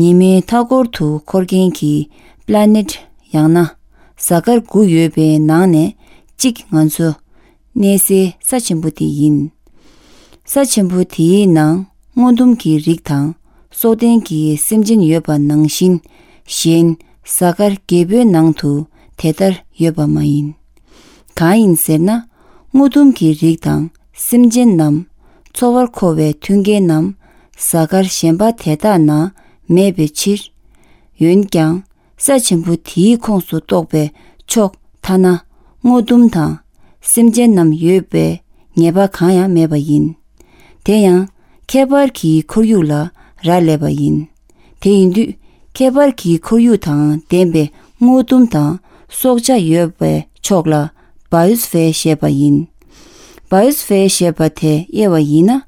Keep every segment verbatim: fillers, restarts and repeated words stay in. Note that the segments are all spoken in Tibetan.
ཉི་མའི་མཐའ་འཁོར་དུ་འཁོར་མཁན་གྱི་པི་ལ་ནེཊ་ཡང་ན་གཟའ་སྐར་དགུ་ཡོད་པའི་ནང་ནས་གཅིག་ང་ཚོ་གནས་སའི་ས་ཆེན་པོ་དེ་ཡིན། ས་ཆེན་པོ་དེའི་ནང་སྔོ་ལྡུམ་གྱི་རིགས་དང་སྲོག་ལྡན་གྱི་སེམས་ཅན་ཡོད་པ་ནང་བཞིན། གཞན་གཟའ་སྐར་བརྒྱད་པོའི་ནང་དུ་དེ་ལྟར་ཡོད་པ་མ་ཡིན། གང་ཡིན་ཟེར་ན། སྔོ་ལྡུམ་གྱི་རིགས་དང་སེམས་ཅན་རྣམས་འཚོ་བར་མཁོ་བའི་མཐུན་རྐྱེན་རྣམས་གཟའ་སྐར་གཞན་པ་དེ་དག་ན་མེད་པའི་ཕྱིར། འོན་ཀྱང་། ས་ཆེན་པོ་དེའི་ཁོངས་སུ་གཏོགས་པའི་ཕྱོགས་ཐ་ན་སྔོ་ལྡུམ་དང་སེམས་ཅན་རྣམས་ཡོད་པའི་ངེས་པ་གང་ཡང་མེད་པ་ཡིན། དེ་ཡང་ཁྱད་པར་གྱི་ཁོར་ཡུག་ལ་རག་ལས་པ་ཡིན། དེ་ཡིན་དུས་ཁྱད་པར་གྱི་ཁོར་ཡུག་དང་ལྡན་པའི་སྔོ་ལྡུམ་དང་སྲོག་ཆགས་ཡོད་པའི་ཕྱོགས་ལ་བ་ཡོ་སི་ཕེར་ཞེས་པ་ཡིན། བ་ཡོ་སི་ཕེར་ཞེས་པ་དེ་དབྱེ་བ་ཡིན་ན།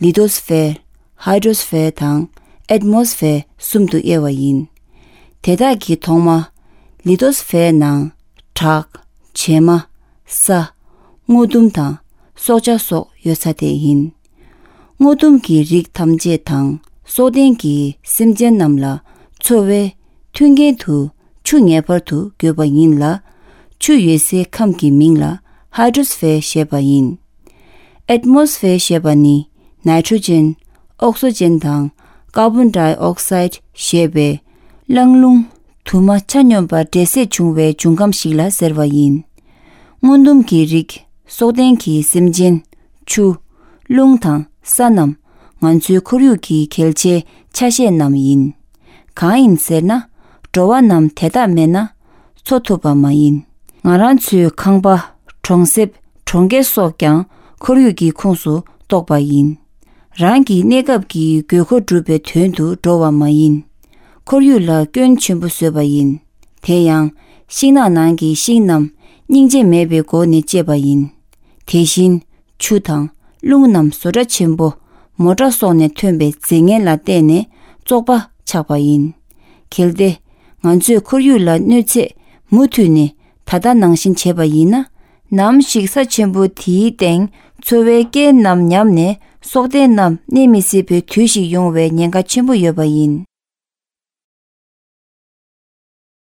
ལི་ཏོ་སི་ཕེར། ཧའི་ཌོ་སི་ཕེར་དང་ཨེ་ཏི་མོ་སི་ཕེར་གསུམ་དུ་དབྱེ་བ་ཡིན། དེ་དག་གི་ཐོག་མ། ལི་ཏོ་སི་ཕེར་ནང་བྲག་བྱེ་མ། ས། སྔོ་ལྡུམ་དང་སྲོག་ཆགས་སོགས་ཡོད་ས་དེ་ཡིན། སྔོ་ལྡུམ་གྱི་རིགས་ཐམས་ཅད་དང་སྲོག་ལྡན་གྱི་སེམས་ཅན་རྣམས་ལ་འཚོ་བའི་མཐུན་རྐྱེན་དུ་ཆུ་ངེས་པར་དུ་དགོས་པ་ཡིན་ལ། ཆུ་ཡོད་སའི་ཁམས་ཀྱི་མིང་ལ་ཧའི་ཌོ་སི་ཕེར་ཞེས་པ་ཡིན། ཨེ་ཏི་མོ་སི་ཕེར་ཞེས་པ་ནི་ནའི་ཊྲོ་ཇེན། ཨོག་སི་ཇེན་དང་ཀར་བོན་ཌའི་ཨོག་སའིཌ་ཞེས་པའི་རླངས་རླུང་དུ་མ་ཆ་སྙོམས་པ་འདྲེས་སས་བྱུང་བའི་འབྱུང་ཁམས་ཤིག་ལ་ཟེར་བ་ཡིན། སྔོ་ལྡུམ་གྱི་རིགས་སྲོག་ལྡན་གྱི་སེམས་ཅན། ཆུ། རླུང་དང་ས་རྣམས་ང་ཚོའི་ཁོར་ཡུག་གི་གལ་ཆེའི་ཆ་ཤས་རྣམས་ཡིན། གང་ཡིན་ཟེར་ན། འགྲོ་བ་རྣམས་དེ་དག་མེད་ན་འཚོ་ཐུབ་པ་མ་ཡིན། ང་རང་ཚོའི་ཁང་པ། གྲོང་གསེབ། གྲོང་ཁྱེར་སོགས་ཀྱང་ཁོར་ཡུག་གི་ཁོངས་སུ་གཏོགས་པ་ཡིན། རང་གི་གནས་སྐབས་ཀྱི་དགོས་མཁོ་སྒྲུབ་པའི་དོན་དུ་འགྲོ་བ་མ་ཡིན། ཁོར་ཡུག་ལ་སྐྱོན་ཆེན་པོ་བཟོས་པ་ཡིན། དེ་ཡང་ཤིང་ནགས་ནང་གི་ཤིང་རྣམས་སྙིང་རྗེ་མེད་པའི་སྒོ་ནས་བཅད་པ་ཡིན། དེ་བཞིན་ཆུ་དང་རླུང་རྣམས་བཟོ་གྲྭ་ཆེན་པོ་མོ་ཊ་སོགས་ནས་ཐོན་པའི་རྫས་ངན་ལ་བརྟེན་ནས་བཙོག་པ་ཆགས་པ་ཡིན། གལ་ཏེ་ང་ཚོས་ཁོར་ཡུག་ལ་གནོད་འཚེ་མུ་མཐུད་ནས་ད་ལྟ་ནང་བཞིན་བྱས་པ་ཡིན་ན། ནམ་ཞིག་ས་ཆེན་པོ་དེའི་སྟེང་འཚོ་བའི་རྐྱེན་རྣམས་ཉམས་ནས་སྲོག་ལྡན་རྣམས་གནས་མི་སྲིད་པའི་དུས་ཤིག་ཡོང་བའི་ཉེན་ཁ་ཆེན་པོ་ཡོད་པ་ཡིན།